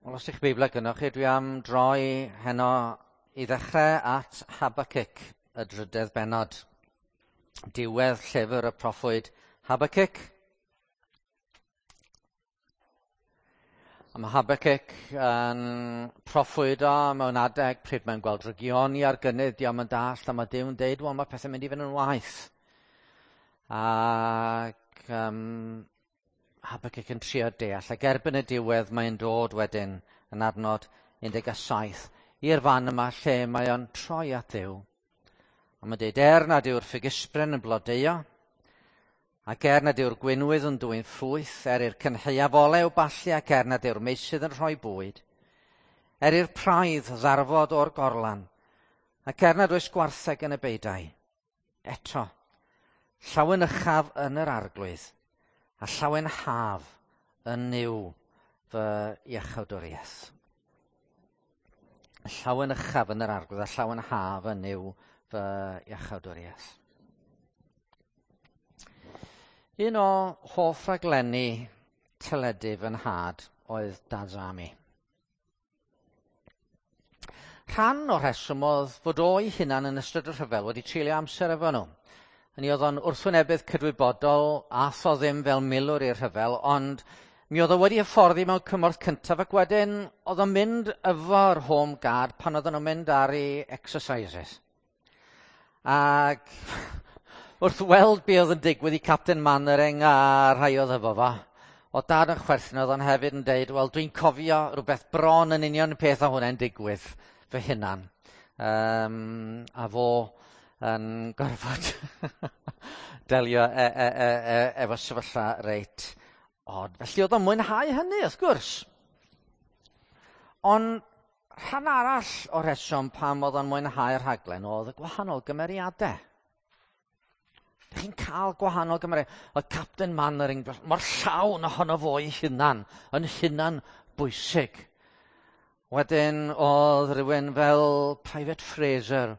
Wel, os ych Beiblau gynnwch chi, dwi am droi heno i ddechrau at Habacuc, y drydedd bennod. Diwedd llyfr y proffwyd Habacuc. A mae Habacuc yn proffwydo mewn adeg pryd mae'n gweld drygioni ar gynnydd, diolch yn dallt, a mae Duw'n deud, wel, mae pethau'n mynd i fynd yn waeth. Ac Habacuc yn trio deall, ac erbyn y diwedd mae'n dod wedyn yn adnod 17 i'r fan yma lle mae o'n troi at Dduw. A mae'n dweud, er nad yw'r ffigysbren yn blodeuo, ac er nad yw'r gwinwydd yn dwyn ffrwyth, er i'r cynhaeaf olew ballu ac er nad yw'r meysydd yn rhoi bwyd, er i'r praidd ddarfod o'r gorlan, ac er nad oes gwartheg yn y beudai, eto, llawenychaf yn yr arglwydd, a llawenhaf yn Nuw fy iachawdwriaeth. Llawenychaf yn yr arglwydd a llawenhaf yn Nuw fy iachawdwriaeth. Un o hoff raglenni teledu fy nhad oedd Dad's Army. Rhan o'r rheswm oedd fod o'i hunan yn ystod y rhyfel wedi treulio amser efo nhw. Hynny oedd o'n wrthwynebydd cydwybodol, ath o ddim fel milwr i'r rhyfel, ond mi oedd o wedi hyfforddi mewn cymorth cyntaf ac wedyn oedd o'n mynd efo'r Home Guard pan oedden nhw'n mynd ar ei exercises. Ac wrth weld be oedd yn digwydd i Captain Mannering a rhai oedd efo fo, oedd dad yn chwerthin, oedd o'n hefyd yn deud, wel, dwi'n cofio rhywbeth bron yn union y peth o hwnna'n digwydd fy hunan. A fo yn gorfod delio efo sefyllfa reit od. Felly oedd o'n mwynhau hynny, wrth gwrs. Ond rhan arall o'r rheswm pam oedd o'n mwynhau'r rhaglen oedd y gwahanol gymeriadau. Dych chi'n cael gwahanol gymeriadau. Oedd Captain Mannering mor llawn ohono fo'i hunan, yn hunan bwysig. Wedyn oedd rhywun fel Private Fraser.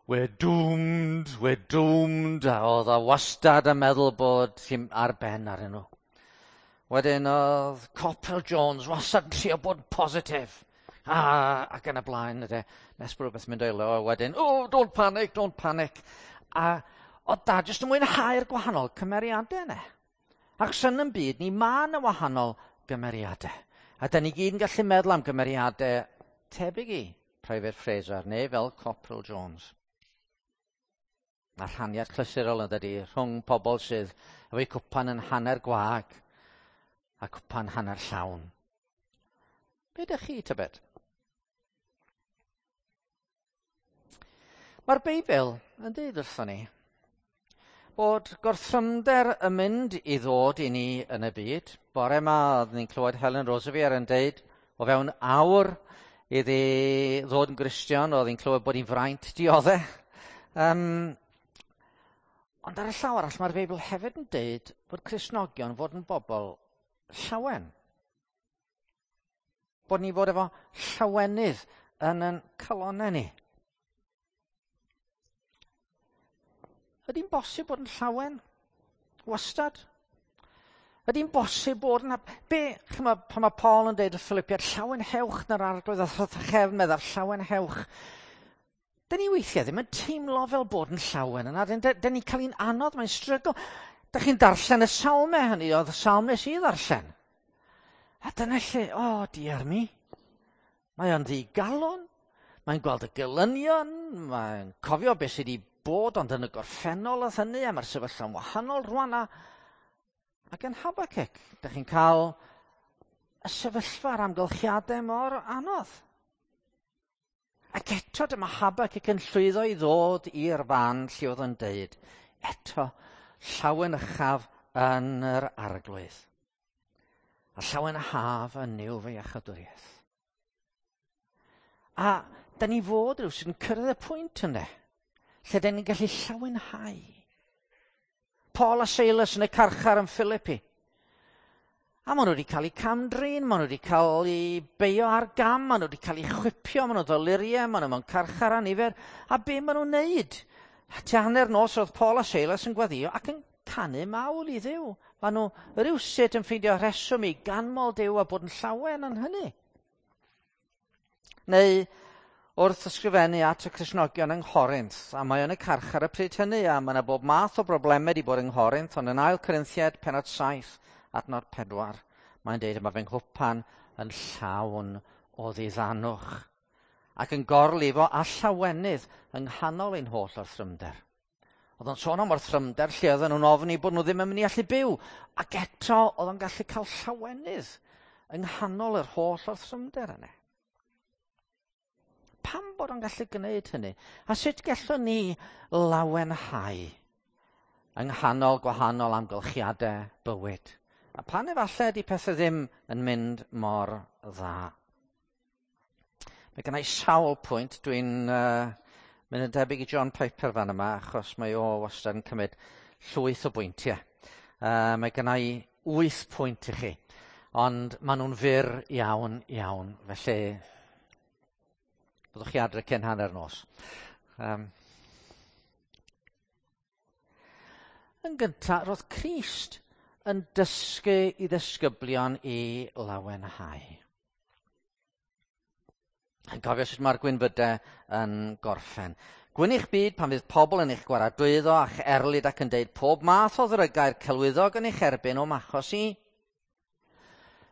We're doomed, we're doomed. A oedd o wastad yn meddwl bod hi'n ar ben arnyn nhw. Wedyn oedd Corporal Jones wastad yn trio bod yn positif. Ac yn y blaen, yde. Nes bod rhywbeth mynd o'i le, wedyn, oh, don't panic, don't panic. A oedd dad jyst yn mwynhau'r gwahanol cymeriadau yna. Ac yn yn byd ni, mae yna wahanol gymeriadau. A da ni gyd yn gallu meddwl am gymeriadau tebyg i Private Fraser neu fel Corporal Jones. Mae rhaniad clasurol yn dydi rhwng pobl sydd efo'u cwpan yn hanner gwag a cwpan hanner llawn. Be ydych chi, tybed? Mae'r Beibl yn dweud wrthon ni bod gorthrymder yn mynd i ddod i ni yn y byd. Bore yma, oeddwn ni'n clywed Helen Roseveare yn deud o fewn awr iddi ddod yn Gristion, oedd hi'n clywed bod hi'n fraint dioddau. Ond ar y llaw arall, mae'r Beibl hefyd yn deud bod Cristnogion fod yn bobl llawen. Bod ni fod efo llawenydd yn ein calonnau ni. Ydy'n bosib bod yn llawen? Wastad? Ydy'n bosib bod yn... Be, chymod, pan mae Paul yn deud wrth Philippiaid, llawenhewch na'r arglwydd a thrachefn meddaf, llawenhewch. Dyn ni weithiau ddim yn teimlo fel bod yn llawen yna. Dyn ni'n cael un anodd, mae'n strygl. Dych chi'n darllen y salmau hynny, oedd y salm nes i ddarllen. A dyna lle, o, oh, diar mi. Mae o'n ddigalon, mae'n gweld y gelynion, mae'n cofio beth sydd wedi bod, ond yn y gorffennol oedd hynny, a mae'r sefyllfa'n wahanol rwan. Ac yn Habacuc, dych chi'n cael y sefyllfa a'r amgylchiadau mor anodd. Ac eto dyma Habacuc yn llwyddo i ddod i'r fan lle oedd yn deud, eto, llawenychaf yn yr arglwydd. A llawenhaf yn Nuw fy iachawdwriaeth. A da ni fod rhyw sy'n cyrraedd y pwynt yna, lle da ni'n gallu llawenhau. Paul a Silas yn y carchar yn Philippi. A maen nhw wedi cael eu camdrin, maen nhw wedi cael eu beio ar gam, maen nhw wedi cael eu chwipio, maen nhw'n ddoluriau, maen nhw mewn carchar a nifer. A be maen nhw'n neud? Tua hanner nos oedd Paul a Silas yn gweddïo ac yn canu mawl i Dduw. Maen nhw rywsut yn ffeindio rheswm i ganmol Duw a bod yn llawen yn hynny. Neu wrth ysgrifennu at y Cristnogion yng Nghorinth, a mae yn y carchar y pryd hynny, a mae yna bob math o broblemau wedi bod yng Nghorinth, ond yn 2 Corinthiaid pennod 7, adnod 4, mae'n deud yma fy nghwpan yn llawn o ddiddanwch, ac yn gorlifo a llawenydd yng nghanol ein holl orthrymder. Oedd o'n sôn am orthrymder lle oedden nhw'n ofni bod nhw ddim yn mynd i allu byw, ac eto oedd o'n gallu cael llawenydd yng nghanol yr holl orthrymder yna. Pam bod o'n gallu gwneud hynny? A sut gallwn ni lawenhau yng nghanol gwahanol amgylchiadau bywyd? A pan efallai ydy pethau ddim yn mynd mor dda? Mae gennau sawl pwynt. Dwi'n mynd yn debyg i John Piper fan yma, achos mae o wastad yn cymryd llwyth o bwyntiau. Mae gennau 8 pwynt i chi, ond maen nhw'n fyr iawn, iawn. Felly, byddwch chi adre cyn hanner nos. Yn gyntaf, roedd Crist yn dysgu i ddisgyblion i lawenhau. Yn cofio sut mae'r gwynfydau yn gorffen. Gwyn eich byd pan fydd pobl yn eich gwaradwyddo a'ch erlid ac yn deud pob math o ddrygair celwyddog yn eich erbyn o'm achos i.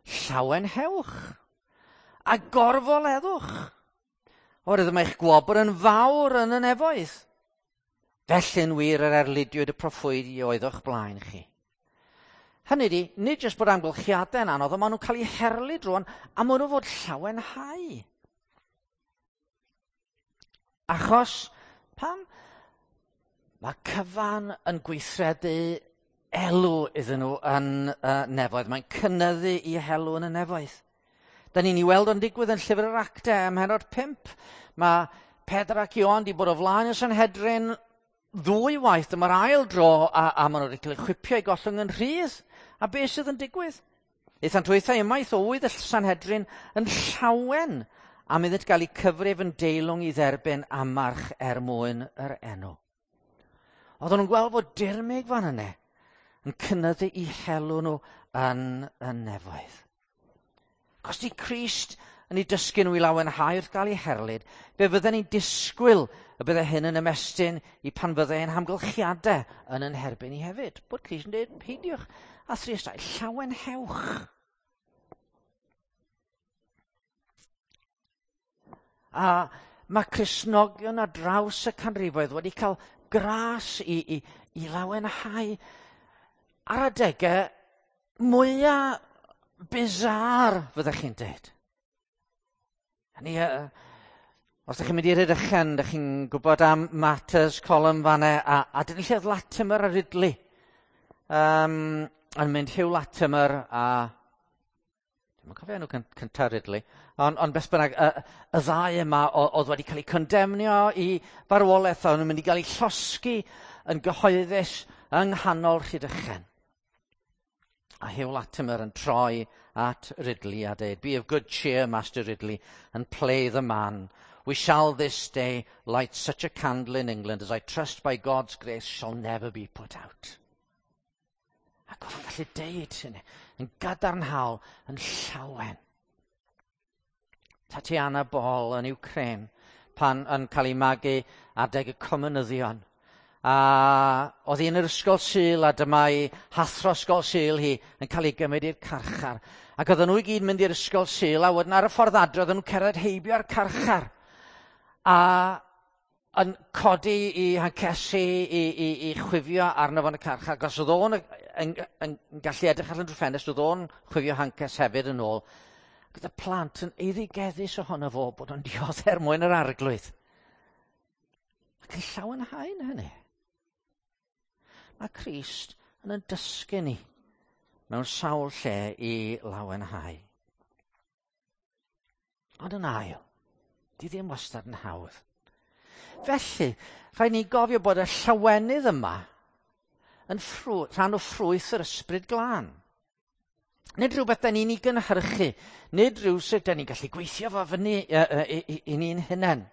Llawenhewch a gorfoleddwch. Oherwydd mae eich gwobr yn fawr yn y nefoedd. Felly'n wir yr erlidiwyd y proffwydi oedd o'ch blaen chi. Hynny ydi, nid jyst bod amgylchiadau'n anodd, ond maen nhw'n cael eu herlid rwan, a maen nhw fod llawenhau. Achos, pam? Mae cyfan yn gweithredu elw iddyn nhw yn y nefoedd. Mae'n cynyddu i helw yn y nefoedd. Da ni'n ei weld o'n digwydd yn llyfr yr Actau ym mhennod 5. Mae Pedr ac Ioan wedi bod o flaen y Sanhedrin ddwy waith. Dyma'r ail dro a maen nhw wedi cael eu chwipio i gollwng yn rhydd. A beth sydd yn digwydd? Aethant hwythau ymaith o ŵydd y Sanhedrin yn llawen am iddynt gael eu cyfrif yn deilwng i dderbyn amarch er mwyn yr enw. Oedden nhw'n gweld fod dirmyg fan yna yn cynyddu i helw nhw yn y nefoedd. Os di Crist yn ei dysgu nhw i lawenhau wrth gael ei herlid, fe fydden ni'n disgwyl y bydde hyn yn ymestyn i pan fydde ein hamgylchiadau yn yn herbyn ni hefyd. Bod Crist yn dweud, peidiwch a thristau, llawenhewch. A mae Cristnogion ar draws y canrifoedd wedi cael gras i lawenhau ar adegau mwyaf bizar, fyddech chi'n dweud. Hynny, os ydych chi'n mynd i Rhydychen, ydych chi'n gwybod am Martyrs Column fan'na, a dyna lle oedd Latimer a Ridley. Yn mynd Hugh Latimer a... Dwi'm yn cofio enw cyntaf Ridley, ond beth bynnag, y ddau yma oedd wedi cael eu condemnio i farwolaeth, a o'n nhw'n mynd i gael eu llosgi yn gyhoeddus yng nghanol Rhydychen. A Hugh Latimer yn troi at Ridley a dweud, "Be of good cheer, Master Ridley, and play the man. We shall this day light such a candle in England as I trust by God's grace shall never be put out." Ac oedd o'n gallu deud hynny yn gadarnhaol, yn llawen. Tatiana Ball yn Ukraine, pan yn cael ei magu adeg y comunyddion. A oedd hi yn yr ysgol Sul, a dyma ei hathro ysgol Sul hi yn cael ei gymryd i'r carchar. Ac oedden nhw i gyd mynd i'r ysgol Sul, a wedyn ar y ffordd adre oedden nhw'n cerdded heibio'r carchar. A yn codi i hancesi i chwifio arno fo yn y carchar, achos oedd o'n yn gallu edrych allan drwy ffenest, oedd o'n chwifio hances hefyd yn ôl. Ac oedd y plant yn eiddigeddus ohono fo bod o'n dioddef er mwyn yr arglwydd. Ac yn llawenhau yn hynny. Mae Crist yn dysgu ni mewn sawl lle i lawenhau. Ond yn ail, di ddim wastad yn hawdd. Felly, rhaid ni gofio bod y llawenydd yma yn rhan o ffrwyth yr ysbryd glân. Nid rhywbeth da ni'n ei gynhyrchu, nid rhywsut da ni'n gallu gweithio fo fyny i ni'n hunain.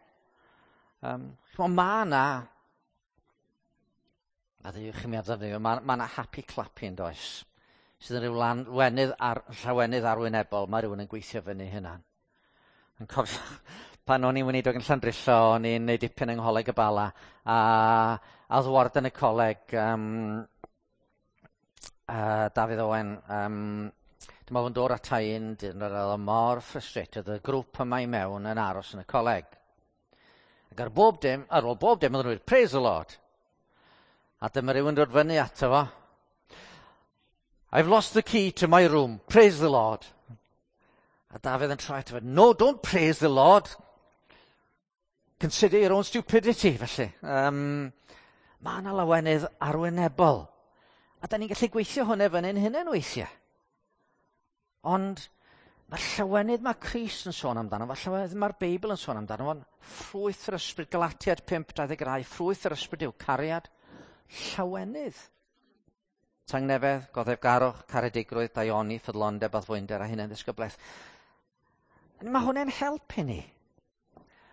Mae yna, a ddewch i mi ar ddefnyddio, mae yna happy clappy yn does, sydd yn rhyw llawenydd arwynebol, mae rhywun yn gweithio fyny hynna. Yn cofio pan o'n i'n weinidog yn Llandrillo, o'n i'n neud dipyn yng Ngholeg y Bala, a oedd warden y coleg, Dafydd Owen, dwi'n meddwl yn dod ata i un dyn, oedd o mor frustrated, y grŵp yma i mewn yn aros yn y coleg. Ac ar bob dim, ar ôl bob dim, oedden nhw'n dweud, "Praise the Lord." A dyma rhywun dod fyny ato fo. "I've lost the key to my room. Praise the Lord." A Dafydd yn troi ato fo, "No, don't praise the Lord. Consider your own stupidity," felly. Mae yna lawenydd arwynebol. A da ni'n gallu gweithio hwnna fyny'n hunain weithiau. Ond mae'r llawenydd mae Crist yn sôn amdano, mae'r llawenydd mae'r Beibl yn sôn amdano, fo'n ffrwyth yr ysbryd, Galatiad 5.22, ffrwyth yr ysbryd yw cariad, llawenydd. Tangnefedd, goddefgarwch, caredigrwydd, daioni, ffyddlondeb, addfwynder a hunan ddisgyblaeth. Mae hwnna'n helpu ni.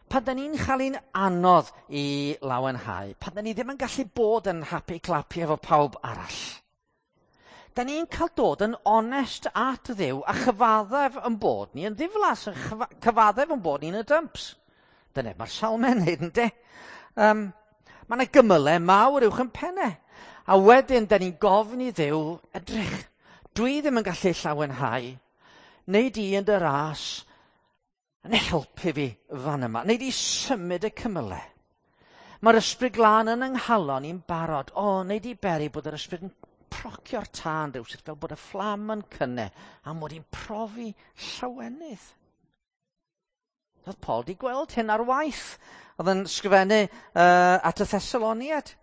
Pan da ni'n chael un anodd i lawenhau, pan da ni ddim yn gallu bod yn happy clappy efo pawb arall, da ni'n cael dod yn onest at Dduw a chyfaddef yn bod ni yn ddiflas, yn cyfaddef yn bod ni'n y dumps. Dyna mae'r salmau'n neud, ynddi? Mae yna gymylau mawr uwch yn pennau. A wedyn, da ni'n gofyn i Dduw, "Edrych, dwi ddim yn gallu llawenhau. Wnei di yn dy ras yn helpu fi fan yma. Wnei di symud y cymylau. Mae'r Ysbryd Glân yn yng nghalon i'n barod. O, wnei di beri bod yr Ysbryd yn procio'r tân rhywsut fel bod y fflam yn cynne a mod i'n profi llawenydd." Oedd Paul di gweld hyn ar waith. Oedd yn sgrifennu at y Thessaloniad.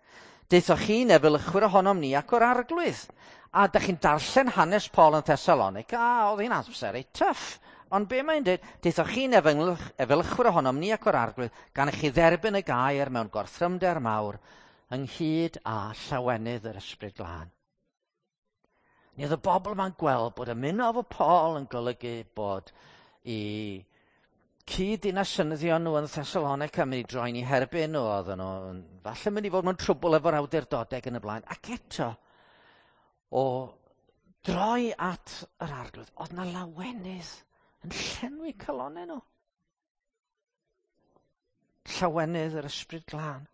"Deuthoch chi'n efelychwyr ohonom ni ac o'r Arglwydd." A da chi'n darllen hanes Paul yn Thessalonica, a oedd hi'n amser ei tough. Ond be mae'n dweud? "Deuthoch chi'n efelychwyr ohonom ni ac o'r Arglwydd, gan i chi dderbyn y gair mewn gorthrymder mawr, ynghyd â llawenydd yr Ysbryd Glân." Ni oedd y bobl yma'n gweld bod ymuno efo Paul yn golygu bod i cyd-dinasynyddion nhw yn Thessalonica mynd i droi'n eu herbyn nhw, oedden nhw falle mynd i fod mewn trwbl efo'r awdurdodau yn y blaen. Ac eto, o droi at yr Arglwydd, oedd na lawenydd yn llenwi calonau nhw. Llawenydd yr Ysbryd Glân.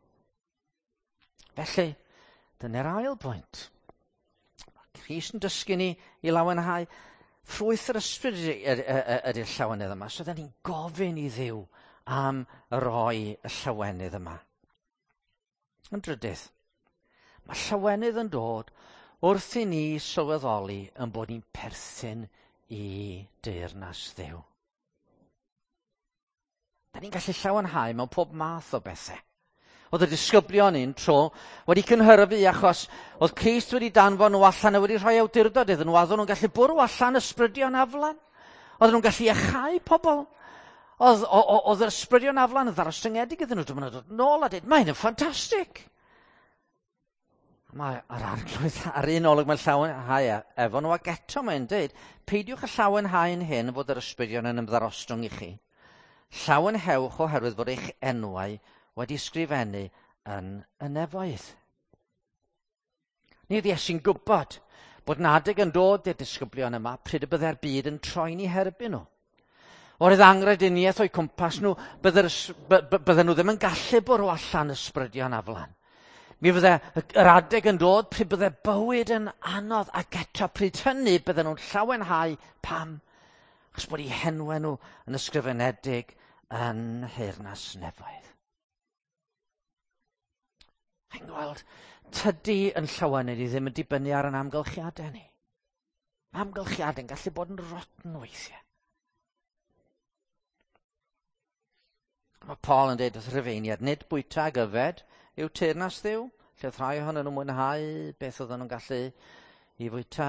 Felly, dyna'r ail bwynt. Mae Crist yn dysgu ni i lawenhau. Ffrwyth yr ysbryd ydy'r llawenydd yma. So, da ni'n gofyn i Dduw am roi y llawenydd yma. Yn drydydd, mae llawenydd yn dod wrth i ni sylweddoli yn bod ni'n perthyn i deyrnas Dduw. Da ni'n gallu llawenhau mewn pob math o bethau. Oedd y disgyblion un tro wedi cynhyrfu achos oedd Crist wedi danfon nhw allan a wedi rhoi awdurdod iddyn nhw, a oedden nhw'n gallu bwrw allan ysbrydion aflan. Oedden nhw'n gallu iachau pobl. Oedd yr ysbrydion aflan yn ddarostyngedig iddyn nhw. Dyma nhw'n dod nôl a dweud, "Mae'n ffantastig." Mae yr Arglwydd ar un olwg mae'n llawenhau efo nhw ac eto mae'n dweud, "Peidiwch â llawenhau yn hyn fod yr ysbrydion yn ymddarostwng i chi. Llawenhewch oherwydd fod eich enwau wedi sgrifennu yn y nefoedd." Ni oedd Iesu'n gwybod bod 'na adeg yn dod i'r disgyblion yma pryd y byddai'r byd yn troi'n eu herbyn nhw. Oherwydd angrediniaeth o'u cwmpas nhw, bydden nhw ddim yn gallu bwrw allan ysbrydion aflan. Mi fydde yr adeg yn dod pryd bydde bywyd yn anodd ac eto pryd hynny bydden nhw'n llawenhau. Pam? Achos bod eu henwau nhw yn ysgrifenedig yn nheyrnas nefoedd. Chi'n gweld, tydi yn llawenydd i ddim yn dibynnu ar yn amgylchiadau ni. Mae amgylchiadau'n gallu bod yn rotten weithiau. Mae Paul yn dweud wrth Rhufeiniad, nid bwyta ag yfed yw teyrnas Dduw, lle oedd rhai ohonyn nhw'n mwynhau beth oedden nhw'n gallu i fwyta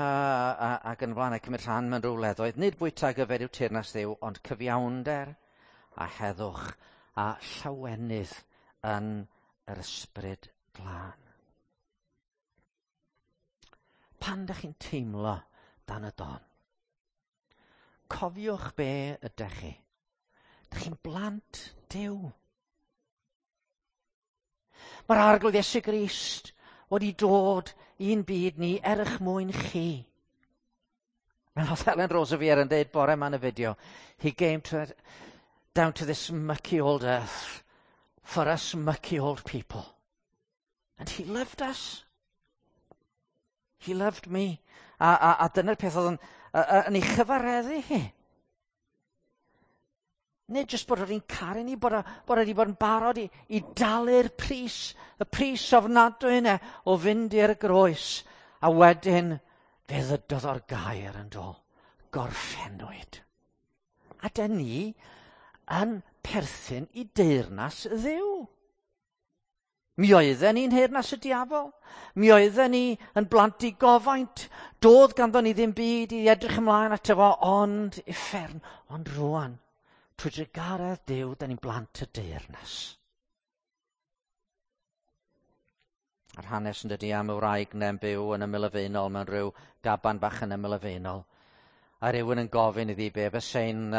ac yn blaen a cymryd rhan mewn rhyw wleddoedd. Nid bwyta ag yfed yw teyrnas Dduw, ond cyfiawnder a heddwch a llawenydd yn yr Ysbryd Glân. Pan ydych chi'n teimlo dan y don, cofiwch be ydych chi. Ydych chi'n blant Duw. Mae'r Arglwydd Iesu Grist wedi dod i'n byd ni er eich mwyn chi. Fel oedd Helen Roseveare yn dweud bore yma yn y fideo, he came to down to this mucky old earth for us mucky old people. And he loved us. He loved me. A dyna'r peth oedd yn ei chyfareddu hi. Nid jyst bod o'n caru ni, bod o wedi bod yn barod i dalu'r pris, y pris ofnadwy yna o fynd i'r groes. A wedyn fe ddydodd o'r gair yn do, gorffennwyd. A dyn ni yn perthyn i deyrnas Dduw. Mi oedden ni'n nheyrnas y diafol. Mi oedden ni yn blant i gofaint. Doedd ganddo ni ddim byd i edrych ymlaen ato fo, ond uffern, ond rwan. Trwy drugaredd Duw, da ni'n blant y deyrnas. A'r hanes yn dydi am y wraig ne'n byw yn ymyl y faenol mewn rhyw gaban bach yn ymyl y faenol. A rhywun yn gofyn iddi be fyse'n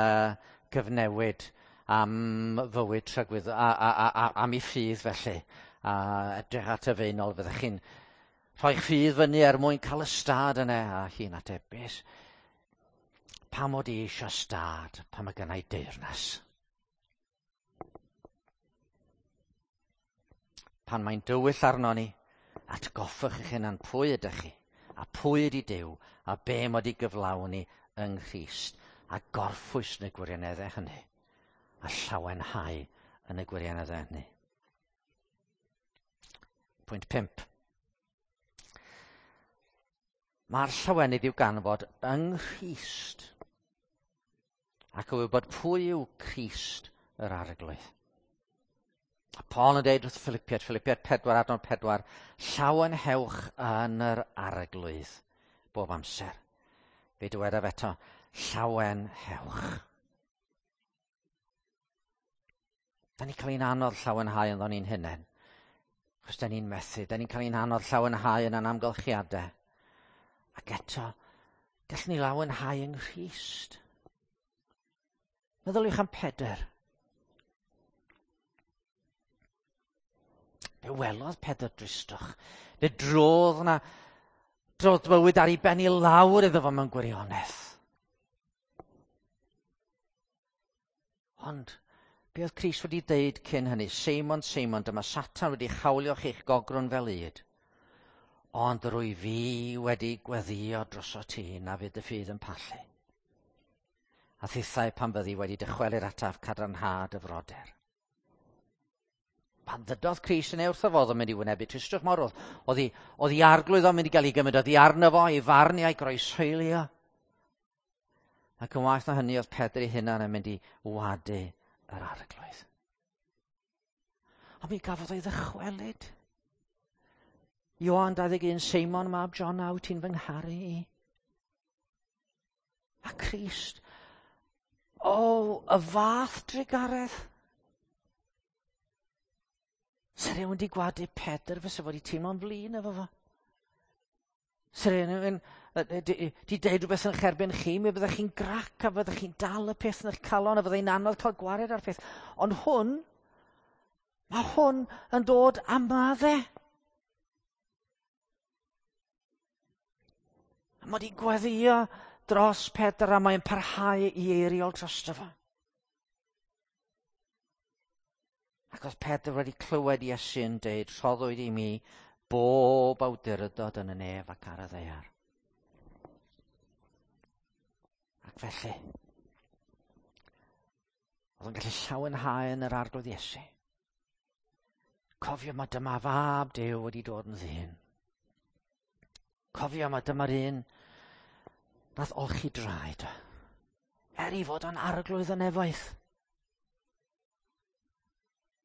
cyfnewid am fywyd tragwydd, am ei ffydd felly. A edrych at y faenol, fyddech chi'n rhoi'ch ffydd fyny er mwyn cael y stad yna. A hi'n ateb, beth? Pam mod i eisiau stad pan mae gynna i deyrnas? Pan mae'n dywyll arno ni, atgoffwch eich hunan pwy ydych chi, a pwy ydi Duw, a be mod i gyflawni yng Nghrist, a gorffwys yn y gwirioneddau hynny, a llawenhau yn y gwirioneddau hynny. Pwynt 5. Mae'r llawenydd i'w ganfod yng Nghrist, ac o wybod pwy yw Crist yr Arglwydd. A Paul yn dweud wrth Philippiaid, Philippiaid 4 adnod 4, llawenhewch yn yr Arglwydd bob amser. Fe dywedaf eto, llawenhewch. Da ni'n cael ein anodd llawenhau ynddo ni'n hunain. Achos da ni'n methu, da ni'n cael ein anodd llawenhau yn ein amgylchiadau. Ac eto, gallwn ni lawenhau yng Nghrist. Meddyliwch am Pedr. Fe welodd Pedr dristwch. Fe drodd yna, drodd bywyd ar ei ben i lawr iddo fo mewn gwirionedd. Ond, be oedd Crist wedi deud cyn hynny? Seimon, Seimon, dyma Satan wedi chawlio chi'ch gogrwn fel ŷd. Ond rwy fi wedi gweddïo droso ti na fydd dy ffydd yn pallu. A thithau pan fyddi wedi dychwelyd ataf cadarnhad y frodyr. Pan ddydodd Crist yn ei wrtho fo, oedd o'n mynd i wynebu tristwch mawr, oedd ei arglwydd o'n mynd i gael ei gymryd oddi arno fo, ei farnu a'i groeshoelio. Ac yn waeth na hynny, oedd Pedr ei hunan yn mynd i wadu yr arglwydd. Ond mi gafodd ei ddychwelyd. Ioan 21, Seimon mab John, wyt ti'n fy ngharu i? A Crist, o, y fath drugaredd. Se rhywun wedi gwadu Pedr, fysa fo wedi teimlo'n flin efo fo. Se rhywun di deud rhywbeth yn eich erbyn chi, mi fyddech chi'n grac a fyddech chi'n dal y peth yn eich calon a fyddai'n anodd cael gwared ar peth. Ond hwn, mae hwn yn dod am madde. A mae wedi gweddïo dros Pedr a mae'n parhau i eiriol drosto fo. Ac oedd Pedr wedi clywed Iesu yn deud, rhoddwyd i mi bob awdurdod yn y nef ac ar y ddaear. Ac felly, oedd yn gallu llawenhau yn yr Arglwydd Iesu. Cofio mae dyma fab Duw wedi dod yn ddyn. Cofio mae dyma'r un nath olchi draed. Er i fod o'n arglwydd y nefoedd.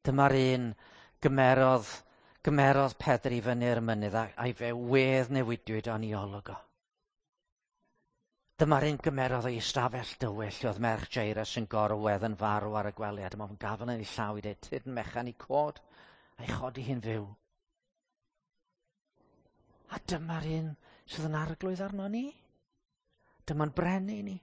Dyma'r un gymerodd Pedr i fyny'r mynydd a'i fe wedd newidiwyd o'n i olwg o. Dyma'r un gymerodd o'i ystafell dywyll lle oedd merch Jairus yn gorwedd yn farw ar y gwely, a dyma fo'n gafael yn ei llaw i dweud, tyd yn mechan i cod, a'i chodi hi'n fyw. A dyma'r un sydd yn arglwydd arno ni. Dyma'n brenin ni.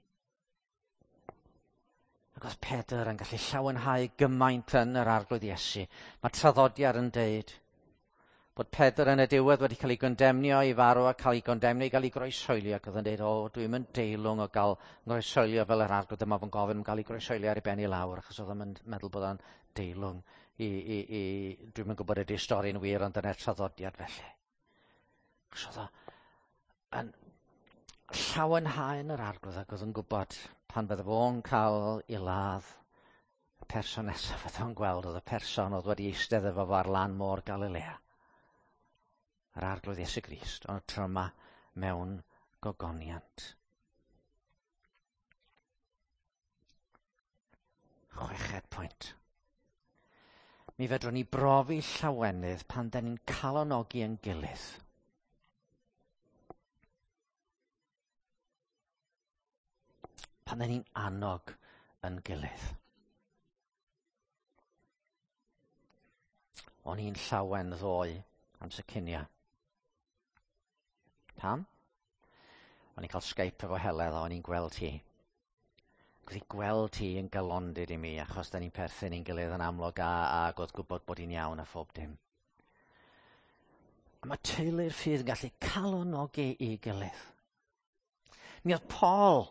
Ac oedd Pedr yn gallu llawenhau gymaint yn yr Arglwydd Iesu. Mae traddodiad yn deud Bod Pedr yn y diwedd wedi cael ei gondemnio i farw a cael ei gondemnio i gael ei groeshoelio, ac oedd yn dweud, o, dwi'n mynd deilwng o gael groeshoelio fel yr arglwydd, dyma fo'n gofyn am gael ei groeshoelio ar ei ben i lawr, achos oedd o'n meddwl bod o'n deilwng i dwi'n mynd gwybod ydy'r stori'n wir, ond dyna'r traddodiad felly. Achos oedd o yn llawenhau yn yr arglwydd ac oedd yn gwybod pan fydde fo'n cael ei ladd, y person nesaf fydde fo'n gweld oedd y person oedd wedi eistedd efo fo ar lan môr Galilea. Yr arglwydd Iesu Grist, ond y tro yma mewn gogoniant. Chweched pwynt. Mi fedrwn ni brofi llawenydd pan da ni'n calonogi yn gilydd. Pan da ni'n annog yn gilydd. O'n i'n llawen ddoe am Sycinia. Pam? O'n i'n cael Skype efo Heledd a o'n i'n gweld hi. Ac oedd hi gweld hi yn galondid i mi, achos da ni'n perthyn i'n gilydd yn amlwg a oedd gwybod bod hi'n iawn a phob dim. A mae teulu'r ffydd yn gallu calonogi i gilydd. Mi oedd Paul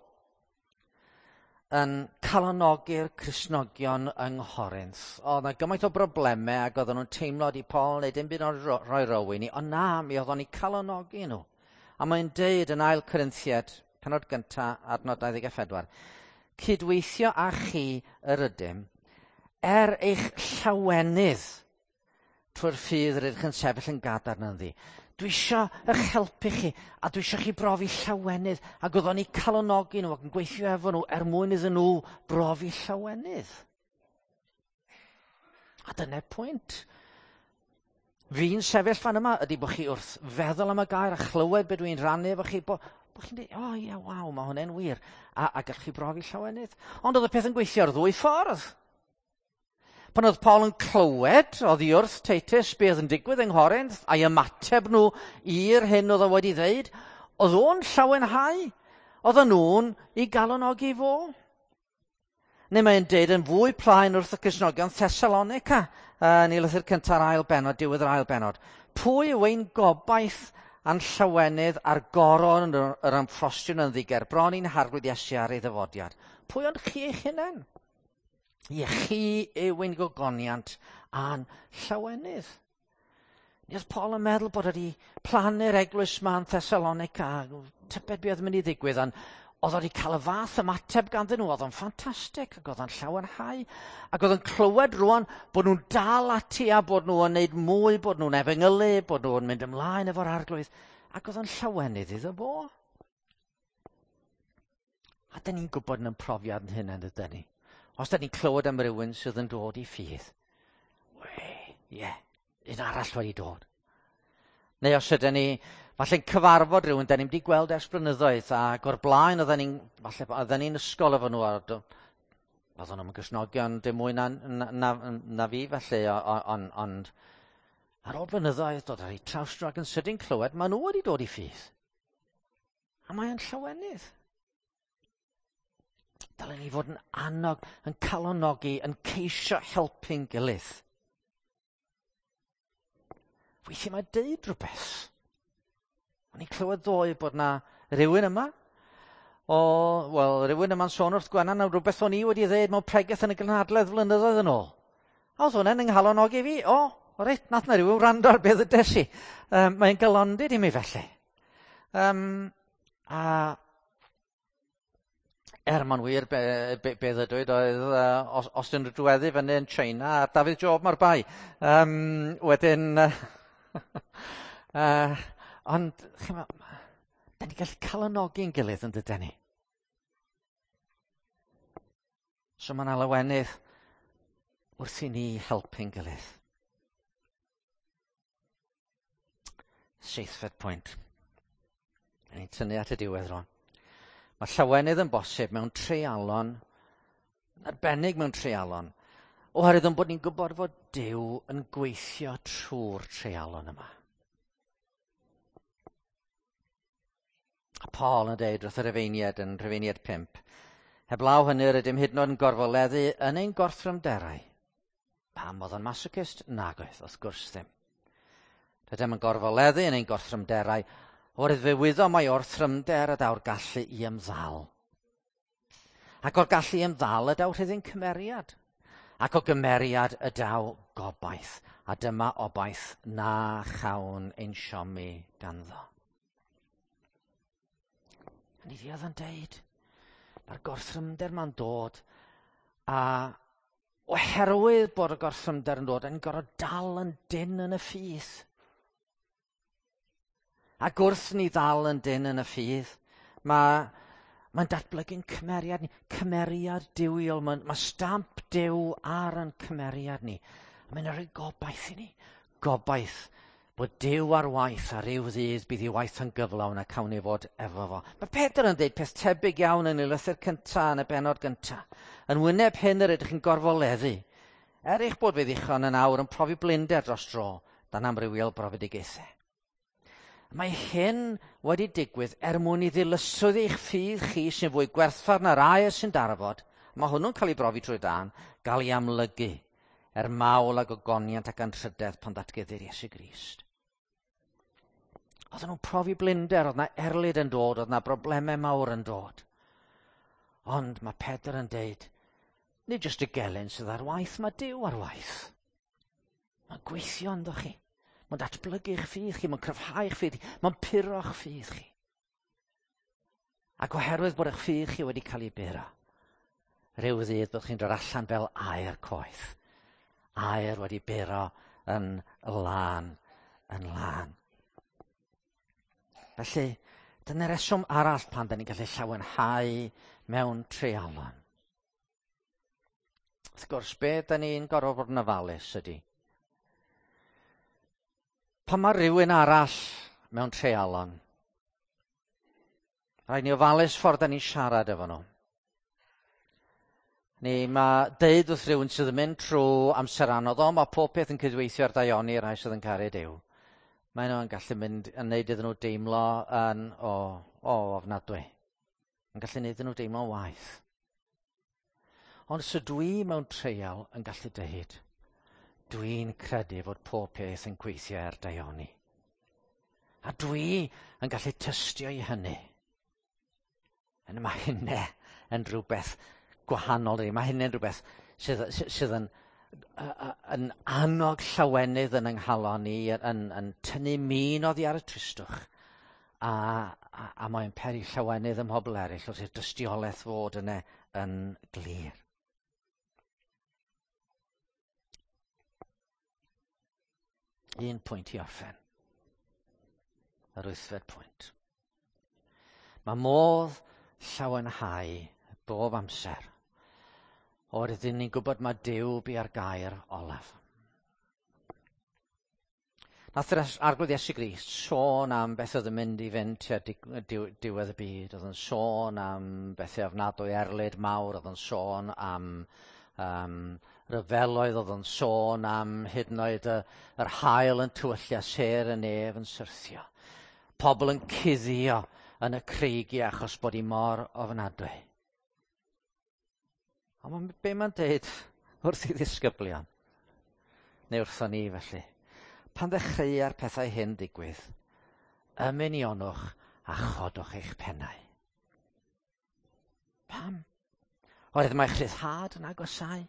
yn calonogi'r Cristnogion yng Nghorinth. Oedd yna gymaint o broblemau ac oedden nhw'n teimlo di Paul neu dim byd o'n rhoi rywun i, ond na, mi oedd o'n eu calonogi nhw. A mae'n deud yn 2 Corinthiaid, penod gyntaf, adnod 24, cydweithio â chi yr ydym, er eich llawenydd trwy'r ffydd rydych yn sefyll yn gadarn ynddi. Dwi isio eich helpu chi, a dwi isio chi brofi llawenydd, ac oeddwn ni calonogi nhw ac yn gweithio efo nhw er mwyn iddyn nhw brofi llawenydd. A dyna'r pwynt. Fi'n sefyll fan yma ydy bod chi wrth feddwl am y gair a chlywed be dwi'n rannu efo chi, bod chi'n dweud, o ie, waw, mae hwnna'n wir, a gallwch chi brofi llawenydd. Ond oedd y peth yn gweithio ar ddwy ffordd. Pan oedd Paul yn clywed oddi wrth Titus be oedd yn digwydd yng Nghorinth a'i ymateb nhw i'r hyn oedd o wedi ddeud, oedd o'n llawenhau, oedd nhw'n ei galonogi fo. Neu mae'n deud yn fwy plaen wrth y Cristnogion Thessalonica, yn ei lythyr cynta'r ail bennod, diwedd yr ail bennod. Pwy yw ein gobaith a'n llawenydd a'r goron yr ymffrostiwn yn ddiger, bron i'n harglwydd Iesu ar ei ddyfodiad? Pwy ond chi eich hunain? Ie, chi yw ein gogoniant a'n llawenydd. Mi oedd Paul yn meddwl bod wedi plannu'r eglwys ma yn Thessalonica, tybed be oedd yn mynd i ddigwydd, ond oedd wedi cael y fath ymateb ganddyn nhw, oedd o'n ffantastig, ac oedd o'n llawenhau, ac oedd o'n clywed rwan bod nhw'n dal ati a bod nhw'n gwneud mwy, bod nhw'n efengylu, bod nhw'n mynd ymlaen efo'r arglwydd, ac oedd o'n llawenydd iddo fo. A dyn ni'n gwybod yn profiad yn hynny, ydyn ni? Os da ni'n clywed am rywun sydd yn dod i ffydd, we, ie, un arall wedi dod. Neu os ydyn ni falle'n cyfarfod rhywun da ni'n wedi gweld ers blynyddoedd, ac o'r blaen oedden ni'n, falle oedden ni'n ysgol efo nhw, oedden nhw'n Gristnogion dim mwy na fi felly, ond ar ôl blynyddoedd dod ar eu traws nhw ac yn sydyn clywed, maen nhw wedi dod i ffydd. A mae'n llawenydd. Dylen ni fod yn annog, yn calonogi, yn ceisio helpu'n gilydd. Weithiau mae deud rhywbeth. O'n i'n clywed ddoe bod na rhywun yma, rhywun yma'n sôn wrth Gwenan am rhywbeth o'n i wedi ddeud mewn pregeth yn y gynhadledd flynyddoedd yn ôl. A oedd hwnna'n yng nghalon i fi. O, reit, nath na rhywun wrando ar beth ydes i. Mae'n galondid i mi felly. A er mae'n wir be ddydwyd oedd os dyn nhw diweddu fyny yn China, a Dafydd Job mae'r bai. Wedyn, ond, chimod, da ni'n gallu calonogi'n gilydd yn dydyn ni. So mae yna lawenydd wrth i ni helpu'n gilydd. Seithfed pwynt. Ni'n tynnu at y diwedd rwan. Mae llawenydd yn bosib mewn treialon, arbennig mewn treialon, oherwydd yn bod ni'n gwybod fod Duw yn gweithio trwy'r treialon yma. A Paul yn deud wrth y Rhufeiniaid yn Rhufeiniaid 5, heblaw hynny rydym hyd yn oed yn gorfoleddu yn ein gorthrymderau. Pam oedd o'n masochist? Nag oedd, wrth gwrs ddim. Rydym yn gorfoleddu yn ein gorthrymderau, oherwydd fe wyddom mai o'r thrymder y daw'r gallu i ymddal. Ac o'r gallu i ymddal y daw rhyddid cymeriad. Ac o gymeriad y daw gobaith. A dyma obaith na chawn ein siomi ganddo. A ni oedd yn deud, mae'r gorthrymder ma'n dod, a oherwydd bod y gorthrymder yn dod, yn gorfod dal yn dyn yn y ffydd. Ac wrth ni ddal yn dyn yn y ffydd, mae'n datblygu'n cymeriad ni, cymeriad duwiol, mae stamp Duw ar yn cymeriad ni. Mae'n rhoi gobaith i ni, gobaith bod Duw ar waith a ryw ddydd bydd ei waith yn gyflawn a cawn ni fod efo fo. Mae Pedr yn dweud peth tebyg iawn yn ei lythyr cyntaf yn y bennod gyntaf. Yn wyneb hyn yr ydych chi'n gorfoleddu. Er eich bod fe ddichon yn awr yn profi blinder dros dro dan amrywiol brofedigaethau. Mae hyn wedi digwydd er mwyn i ddilyswyd eich ffydd chi sy'n fwy gwerthfawr na'r aur sy'n darfod. Mae hwnnw'n cael ei brofi trwy dan, gael ei amlygu er mawl ag ogoniant ac anrhydedd pan ddatguddir Iesu Grist. Oedden nhw'n profi blinder, oedd na erlid yn dod, oedd na broblemau mawr yn dod. Ond mae Pedr yn deud, nid jyst y gelyn sydd ar waith, mae Duw ar waith. Mae'n gweithio ynddo chi. Mae'n datblygu eich ffydd chi, mae'n cryfhau eich ffydd chi, mae'n puro'ch ffydd chi. Ac oherwydd bod eich ffydd chi wedi cael ei buro, rhyw ddydd byddwch chi'n dod allan fel aer coeth. Aer wedi buro yn lân, yn lân. Felly, dyna'r reswm arall pan da ni'n gallu llawenhau mewn treialon. Wrth gwrs, be da ni'n gorfod bod yn ofalus ydy, pan mae rhywun arall mewn treialon, rhaid ni ofalus ffordd da ni'n siarad efo nhw. Ni mae deud wrth rhywun sydd yn mynd trwy amser anodd, o, mae pob peth yn cydweithio ar daioni rhai sydd yn caru Duw. Mae nhw'n gallu mynd yn neud iddyn nhw deimlo yn o ofnadwy. Yn gallu neud iddyn nhw deimlo'n waeth. Ond os ydw i mewn treial yn gallu deud, dwi'n credu fod pob peth yn gweithio ar daioni. A dwi yn gallu tystio i hynny. Yn mae hynny yn rhywbeth gwahanol. Mae hynny'n rhywbeth sydd yn annog llawenydd yn ynghalon ni, yn tynnu min oddi ar y tristwch. A mae'n peri llawenydd ym mhobl eraill wrth i'r dystiolaeth fod yna yn glir. Un pwynt i orffen. Yr wythfed pwynt. Mae modd llawenhau bob amser o'r ydyn ni'n gwybod mae Duw bia'r gair olaf. Nath yr Arglwydd Iesu Grist sôn am beth oedd yn mynd i fynd tua diwedd y byd. Oedd yn sôn am bethau ofnadwy erlid mawr. Oedd yn sôn am ryfeloedd. Oedd yn sôn am hyd yn oed yr haul yn tywyllu a sêr y nef yn syrthio. Pobl yn cuddio yn y creigiau achos bod hi mor ofnadwy. Ond be mae'n deud wrth i ddisgyblion? Neu wrthon ni felly. Pan ddechreua'r pethau hyn digwydd, ymunionwch a chodwch eich pennau. Pam? Oherwydd mae'ch rhyddhad yn agosau.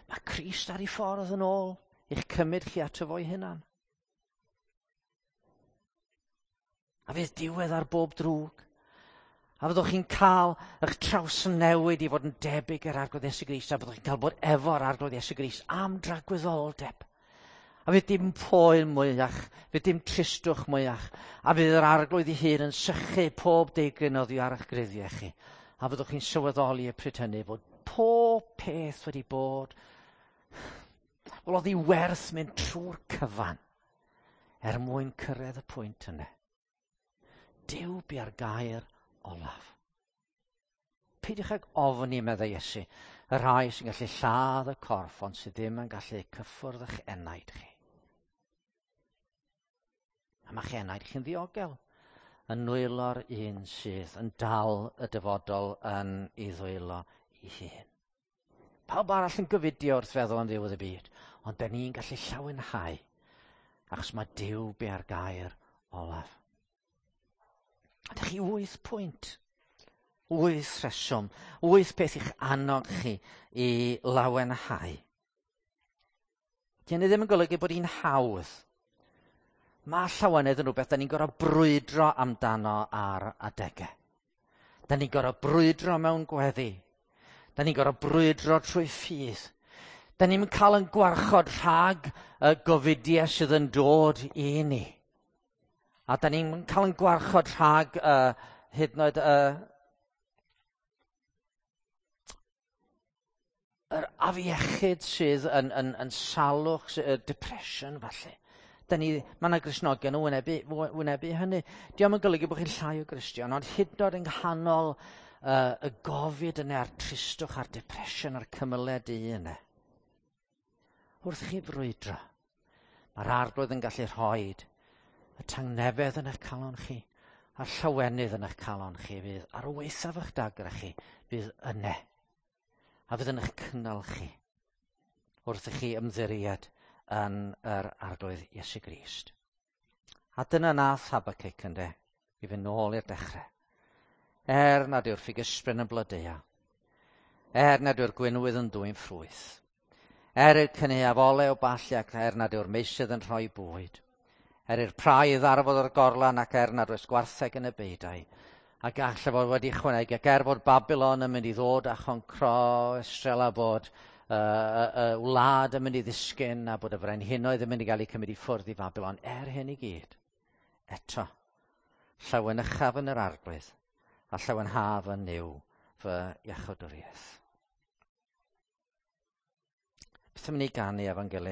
Mae Crist ar ei ffordd yn ôl i'ch cymryd chi ato fo'i hunan. A fydd diwedd ar bob drwg. A fyddwch chi'n cael eich trawsnewid i fod yn debyg i'r Arglwydd Iesu Grist, a byddwch chi'n cael bod efo'r Arglwydd Iesu Grist am dragwyddoldeb. A fydd dim poen mwyach, fydd dim tristwch mwyach, a fydd yr Arglwydd ei hun yn sychu pob deigryn oddi ar eich gruddiau chi. A fyddwch chi'n sylweddoli y pryd hynny fod pob peth wedi bod, wel, oedd hi werth mynd trwy'r cyfan er mwyn cyrraedd y pwynt yna. Duw bia'r gair olaf. Peidiwch ag ofni, meddai Iesu, y rhai sy'n gallu lladd y corff, ond sydd ddim yn gallu cyffwrdd eich enaid chi. A mae'ch enaid chi'n ddiogel yn nwylo'r un sydd yn dal y dyfodol yn ei ddwylo ei hun. Pawb arall yn gyfudio wrth feddwl am ddiwedd y byd, ond da ni'n gallu llawenhau. Achos mae Duw bia'r gair olaf. A dych chi 8 pwynt, 8 rheswm, 8 peth i'ch annog chi i lawenhau. Di hynny ddim yn golygu bod hi'n hawdd. Mae llawenydd yn rhywbeth da ni'n gorfod brwydro amdano ar adegau. Da ni'n gorfod brwydro mewn gweddi. Da ni'n gorfod brwydro trwy ffydd. Da ni'n cael yn gwarchod rhag y gofidiau sydd yn dod i ni. A da ni'n cael yn gwarchod rhag hyd yn oed yr afiechyd sydd yn salwch, y depression falle. Mae yna Gristnogion yn wynebu hynny. Dio'm yn golygu bod chi'n llai o Gristion, ond hyd yn oed yng nghanol y gofid yna, a'r tristwch, a'r depression, a'r cymylau du yna. Wrth chi frwydro, mae'r Arglwydd yn gallu rhoi y tangnefedd yn eich calon chi, a'r llawenydd yn eich calon chi fydd ar waethaf eich dagrau chi, fydd yna, a fydd yn eich cynnal chi wrth i chi ymddiried yn yr Arglwydd Iesu Grist. A dyna nath Habacuc ynde, i fynd nôl i'r dechrau. Er nad yw'r ffigysbren yn blodeuo, er nad yw'r gwinwydd yn dwyn ffrwyth, er i'r cynaeaf olew ballu ac er nad yw'r meysydd yn rhoi bwyd, er i'r praidd ddarfod o'r gorlan ac er nad oes gwartheg yn y beudai, a gall fod wedi ychwanegu, ac er fod Babylon yn mynd i ddod a choncro Israel a bod y wlad yn mynd i ddisgyn a bod y frenhinoedd yn mynd i gael eu cymryd i ffwrdd i Babylon, er hyn i gyd, eto, llawenychaf yn yr Arglwydd a llawenhaf yn Nuw fy iachawdwriaeth. Beth am ni ganu efo'n gilydd?